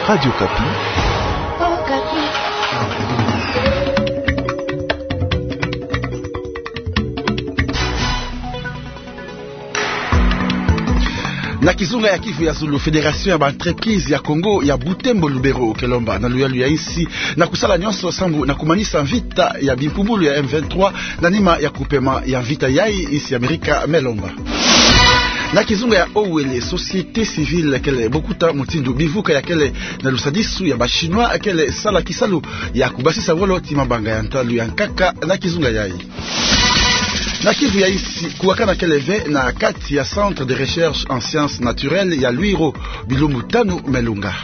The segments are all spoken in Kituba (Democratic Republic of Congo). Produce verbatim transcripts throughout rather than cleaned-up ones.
Radio Okapi. Na kizunga ya Kivu ya Zulu, Fédération ya ba entreprise ya Kongo ya Butembo Lubero ke lomba na luyalu ya insi na kusala nyonso sambu na kumanisa mvita ya bimpumbulu ya M vingt-trois na nima ya kupema ya mvita yai, insi ya Amerika me lomba. Na kizunga ya Haut-Uélé, société civile kele bokuta mutindu bivuka ya kele na lusadisu ya ba Chinois kele sala kisalu ya kubasisa wolo ti mabanga ya ntalu ya nkaka na kizunga yai. Na Kivu ya insi, kuwakana kele ve na kati ya Centre de recherche en sciences naturelles ya Lwiro, bilumbu tanu me lunga.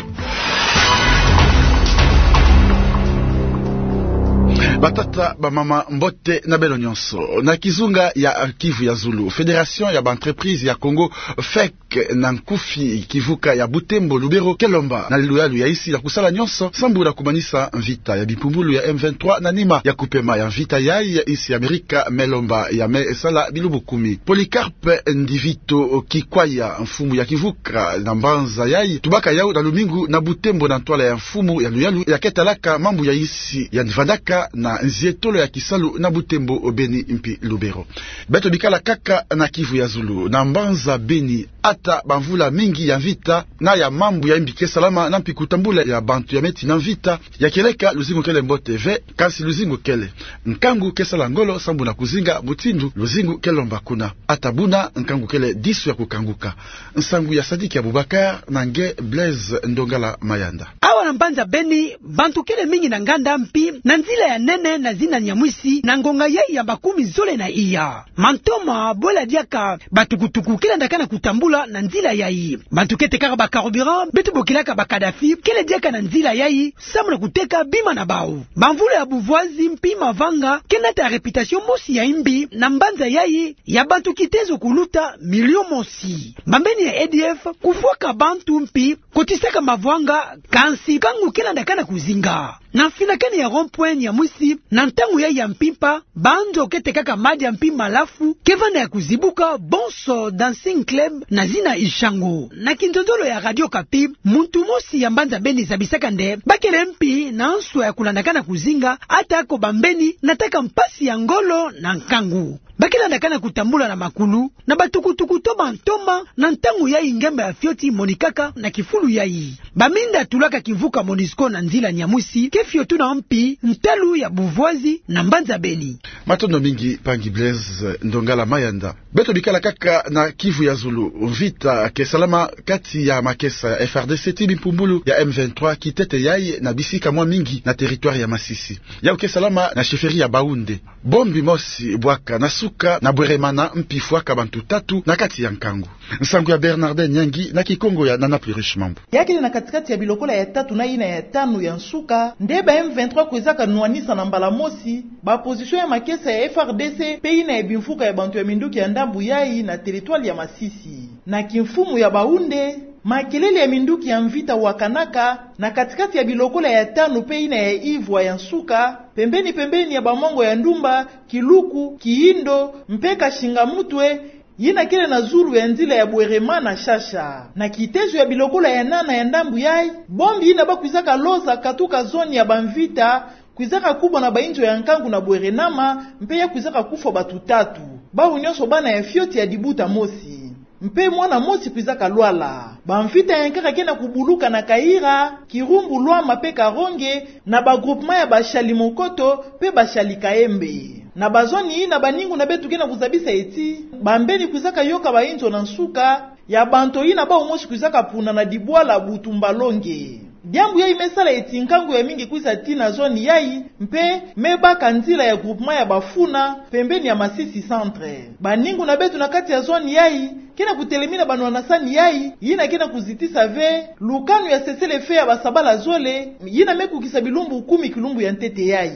Batata, bamama, mbote na beno nyonso. Na kizunga ya Kivu ya Zulu, Fédération ya ba entreprise ya Kongo, fec, na nkufi kivuka ya Butembo Lubero ke lomba na luyalu ya insi na kusala nyonso sambu na kumanisa mvita ya bimpumbulu ya M vingt-trois na nima ya kupema ya mvita yai, insi ya Amerika me lomba ya me sala bilumbu kumi. Polycarpe Ndivito Kikwaya, mfumu ya kivuka na mbanza yai, tubaka yau na lumingu na Butembo na ntwala ya mfumu ya luyalu ya ke talaka mambu ya insi ya vandaka na nzietolo ya kisalu na Butembo, Beni mpi Lubero. Beto bikala kaka na Kivu ya Zulu, na mbanza Beni, ata bamvula mingi ya mvita na ya mambu ya imbi ke salama na mpi kutambula ya bantu ya me tina mvita, ya kieleka luzingu kele mbote ve, kansi luzingu kele. Nkangu ke sala ngolo sambu na kuzinga mutindu luzingu ke lomba kuna. Ata buna, nkangu kele disu ya kukanguka. Nsangu ya Sadiki Abubakar na nge Blaise Ndongala Mayanda. Awa na mbanza Beni, bantu kele mingi na nganda mpi na nzila ya nene na zina Nyamwisi na ngonga yai ya makumi zole na iya. Mantoma bwela diaka batukutuku ke landaka na kutambula na nzila yai. Bantu ke tekaka ba carburant, beto bokilaka ba Kadhafi, kele diaka na nzila yai sambu na kuteka bima na bau. Bamvula ya buvwazi mpi mavanga ke nata réputation mosi ya imbi na mbanza yai, ya bantu kitezo kuluta milio mosi. Bambeni ya A D F kufwaka bantu mpi kotisaka mavwanga, kansi nkangu ke landaka na kuzinga. Na mfinakani ya rond-point Nyamwisi, na ntangu yai ya mpimpa, banzo ke tekaka madia mpi malafu ke vanda ya kuzibuka, bonso Dancing Club na zina Ishango. Na kinzonzolo ya Radio Okapi, muntu mosi ya mbanza Beni zabisaka nde ba kele mpi na nswa ya kulandaka na kuzinga, ata ko bambeni nataka mpasi ya ngolo na nkangu. Ba ke landaka na kutambula na makulu, na batukutuku to mantoma, na ntangu yai ngemba ya fioti monikaka na kifulu yai. Baminda tulaka kivuka Monusco na nzila Nyamwisi ke fiotuna mpi ntalu ya buvwazi na mbanza Beni. Matondo mingi, mpangi Blaise Ndongala Mayanda. Beto bikala kaka na Kivu ya Zulu, mvita ke salama kati ya makesa ya F R D C ti bimpumbulu ya M vingt-trois kitete yai na bisika mwa mingi na territoire ya Masisi. Yau ke salama na chefferie ya Baoundé. Bombi mosi bwaka na suka na Bweremana mpi fwaka bantu tatu na kati ya nkangu. Nsangu ya Bernardin Nyangi na Kikongo ya Nana Pluriche Mambu. Ya kele na katikati ya bilokola ya tatu na yina ya tanu ya nsuka nde ba M vingt-trois kwizaka nwanisa na mbala mosi ba position ya makesa ya F R D C mpe yina ya bimfuka ya bantu ya minduki ya ndambu yai na territoire ya Masisi. Na kimfumu ya Baoundé, makelele ya minduki ya mvita wakanaka na katikati ya bilokola ya tanu mpe yina ya ivwa ya nsuka, pembeni-pembeni ya bamongo ya ndumba Kiluku, Kiyindo mpe Kashinga-Mutwe, yina kele na zulu ya nzila ya Bweremana-Shasha. Na kitezo ya bilokola ya nana ya ndambu yai, bombi yina ba kwizaka loza katuka zone ya bamvita kwizaka kubwa na bainzo ya nkangu na Bweremana, mpe ya kwizaka kufwa bantu tatu, bawu nyonso bana ya fioti ya dibuta mosi. Mpe mwana mosi kwizaka lwala. Bamvita ya nkaka ke na kubuluka na Kayira, Kirumbu, Lwama mpe Karonge, na ba groupement ya Bashali-Mokoto mpe Bashali-Kayembe. Na bazone yina, baningu na beto ke na kuzabisa ti bambeni kwizaka yoka bainzo na nsuka ya bantu yina bawu mosi kwizaka puna na dibwala Butumba-Longe. Diambu yai me sala ti nkangu ya mingi kwiza tii na zone yai, mpe me baka nzila ya groupement ya Bafuna, pembeni ya Masisi Centre. Baningu na beto na kati ya zone yai ke na kutelemina banwanasani yai, yina ke na kuzitisa ve lukanu ya cessez-le-feu ya basabala zole, yina me kukisa bilumbu kumi kilumbu ya ntete yai.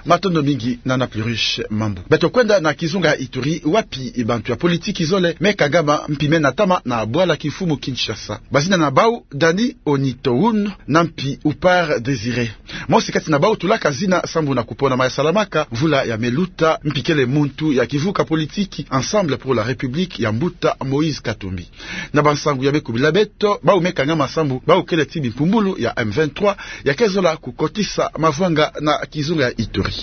Matondo mingi, Nana Pluriche Mambu. Beto kwenda na kizunga ya Ituri, wapi bantu ya politiki zole me kangama mpi me natama na bwala kimfumu Kinshasa. Bazina na bawu Dani Onitoun na mpi Upar Désiré. Mosi kati na bawu tulaka zina sambu na kuponama ya salamaka mvula ya me luta, mpi kele muntu ya kivuka politiki Ensemble pour la République ya mbuta Moïse Katumbi. Na bansangu ya me kubila beto, bau me kangama sambu bau kele ti bimpumbulu ya M vingt-trois ya ke zola kukotisa mavwanga na kizunga ya Ituri.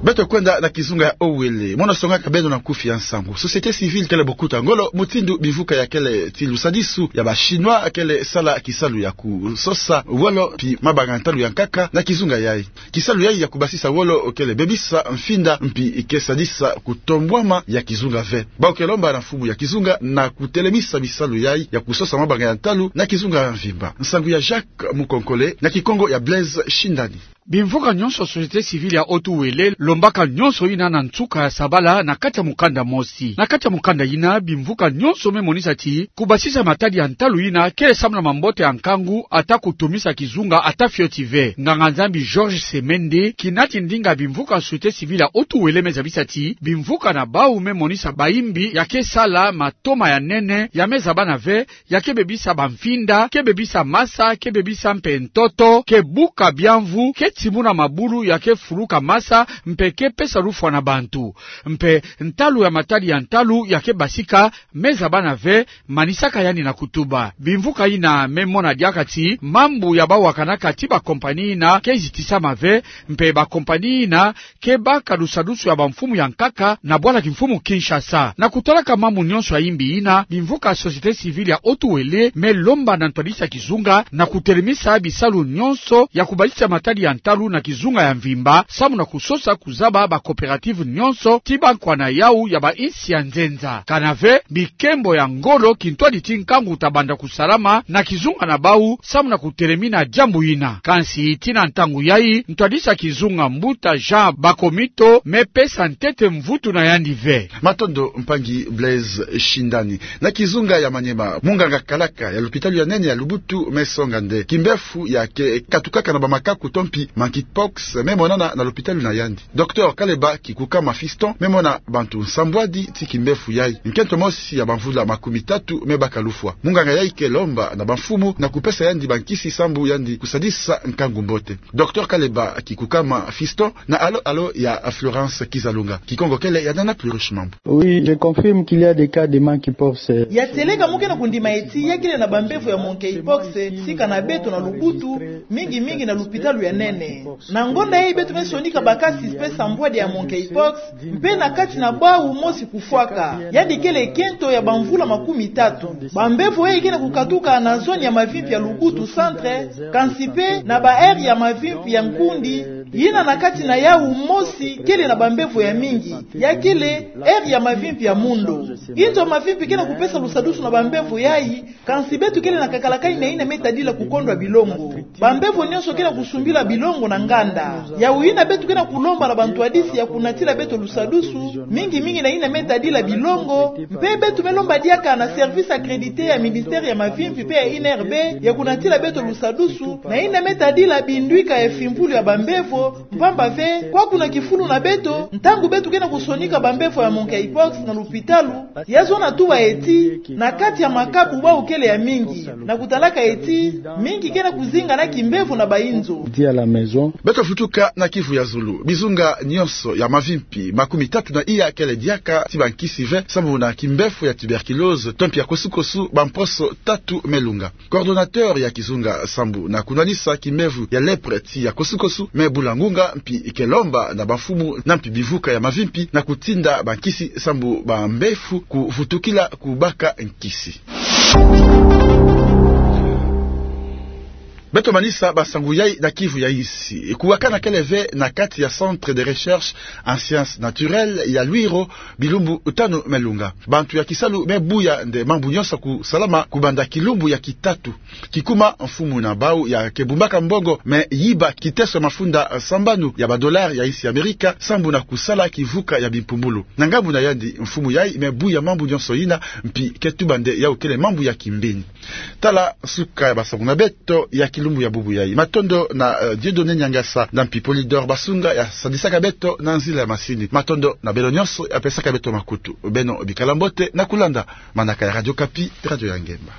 Beto kwenda na kizunga ya Haut-Uélé, mono songaka beno na nkufi ya nsangu. Société civile kele bokuta ngolo mutindu bimvuka ya kele ti lusadisu ya ba Chinois kele sala kisalu ya kusosa wolo mpi mabanga ntalu ya nkaka na kizunga yayi. Kisalu yayi ya kubasisa wolo kele bebisa mfinda mpi ke sadisa kutombwama ya kizunga ve. Bau ke lomba na mfumu ya kizunga na kutelemisa bisalu yayi ya kusosa mabanga ya ntalu na kizunga ya mvimba. Nsangu ya Jacques Mukonkole na Kikongo ya Blaise Shindani. Bimvuka nyonso société civile ya Haut-Uélé lombaka nyonso yina na nsuka ya sabala na kati ya mukanda mosi. Na kati ya mukanda yina, bimvuka nyonso me monisa ti kubasisa matadi ya ntalu yina kele samu na mambote ya nkangu, ata kutomisa kizunga ata fioti ve. Nganga-Nzambi Georges Semende, kinati ndinga bimvuka société civile ya Haut-Uélé, me zabisa ti bimvuka na bau me monisa bayimbi ya ke sala matoma ya nene, ya me zabana ve, ya ke bebisa bamfinda, ke bebisa masa, ke bebisa mpe ntoto, ke buka biamvu, ke timuna mabulu, ya ke fuluka masa, mpe ke pesa lufwa na bantu. Mpe ntalu ya matadi ya ntalu ya ke basika, me zabana ve, manisaka yandi na kutuba. Bimvuka yina me mona diaka ti mambu ya bau wakanaka ti bakompani yina ke zitisama ve, mpe bakompani yina ke baka lusadusu ya bamfumu ya nkaka na bwala kimfumu Kinshasa. Na kutalaka mambu nyonso ya yimbi yina, bimvuka société civile ya Haut-Uélé me lomba na ntwadisi ya kizunga na kutelemisa bisalu nyonso ya kubasisa matadi ya ntalu na kizunga ya mvimba, samu na kusosa kuzaba ba coopérative nyonso ti bankwa na yau ya bainsi ya nzenza. Kana ve, bikembo ya ngolo kintwadi ti nkangu ta banda kusalama na kizunga na bau, samu na kutelemina diambu yina. Kansi tii na ntangu yayi, ntwadisi ya kizunga mbuta Jean Bakomito me pesa ntete mvutu na yandi ve. Matondo mpangi Blaise Shindani. Na kizunga ya Maniema, munganga kalaka ya lupitalu ya nene ya Lubutu me songa nde kimbefu ya ke katukaka na bamakaku to mpi monkeypox me monana na lupitalu na yandi. Docteur Kaleba Kikukama Fiston me mona bantu nsambwadi ti kimbefu yayi. Nkento mosi ya bamvula makumi tatu me baka lufwa. Munganga yayi ke lomba na bamfumu na kupesa yandi bankisi sambu yandi kusadisa nkangu mbote. Docteur Kaleba Kikukama Fiston na alo-alo ya Florence Kizalunga. Kikongo kele ya Nana Plurish Mambu. Oui, je confirme qu'il y a des cas de monkeypox. Ya seleka mu ke na kundima eti ya kele na bambevo ya monkeypox sika na beto na Lubutu, mingi mingi na lupitalu ya nene. Na ngonda yayi beto me sonika ba cas suspects nsambwadi ya monkeypox, mpe na kati na bau mosi kufwaka. Yandi kele kento ya bamvula makumi tatu. Bambevo yayi ke na kukatuka na zone ya Mavimpi ya Lubutu Centre, kansi mpe na ba aire ya Mavimpi ya Nkundi, yina na kati na yau mosi kele na bambevo ya mingi, ya kele aire ya Mavimpi ya Mundo. Inzo Mavimpi ke na kupesa lusadusu na bambevo yayi, kansi beto kele na kakalakani na yina me tadila kukondwa bilongo. Bambevo nyonso ke na kusumbila bilongo na nganda. Yau yina beto ke na kulomba na bantwadisi ya kunatila beto lusadusu, mingi mingi na yina me tadila bilongo, mpe beto me lomba diaka na service accrédité ya ministère ya Mavimpi mpe ya I N R B ya kunatila beto lusadusu na yina me tadila bindwika ya fimpulu ya bambevo, mpamba ve, kwaku na kifulu na beto, ntangu beto ke na kusonika bambevo ya monkeypox na lupitalu, ya zona tuba eti, na kati ya makabu bau kele ya mingi, na kutalaka eti, mingi ke na kuzinga na kimbevo na bainzo. Dit à la maison. Beto vutuka na Kivu ya zulu. Bizunga nyonso ya Mavimpi makumi tatu na iya kele diaka ti bankisi ve, sambu na kimbevo ya tuberculose, to mpi ya kosukosu, bamposo tatu me lunga. Coordonnateur ya kizunga sambu na kunwanisa kimbevo ya lèpre ti ya kosukosu me bula ngunga, mpi ke lomba na bamfumu na mpi bivuka ya Mavimpi na kutinda bankisi sambu bambevo kuvutukila kubaka nkisi. Beto manisa bansangu yayi na Kivu ya insi. Kuwakana kele ve na kati ya Centre de Recherche en Sciences Naturelles ya Luiro, bilumbu tanu me lunga. Bantu ya kisalu me buya nde mambu nyonso kusalama kubanda kilumbu ya kitatu. Kikuma, mfumu na bau ya ke bumbaka mbongo me yiba kiteso ya mafunda sambanu ya ba dollars ya insi ya Amerika sambu na kusala kivuka ya bimpumbulu. Na ngambu na yandi, mfumu yayi me buya mambu nyonso yina, mpi ke tuba nde yau kele mambu ya kimbeni. Tala suka ya bansangu na beto ya kilumbu ya bubu yayi. Matondo na, eh, Dieudonné Niangasa na mpi Polydor Basunga ya sadisaka beto na nzila ya masini. Matondo na beno nyonso ya pesaka beto makutu. Beno bikala mbote na kulanda manaka ya Radio Okapi, radio ya ngemba.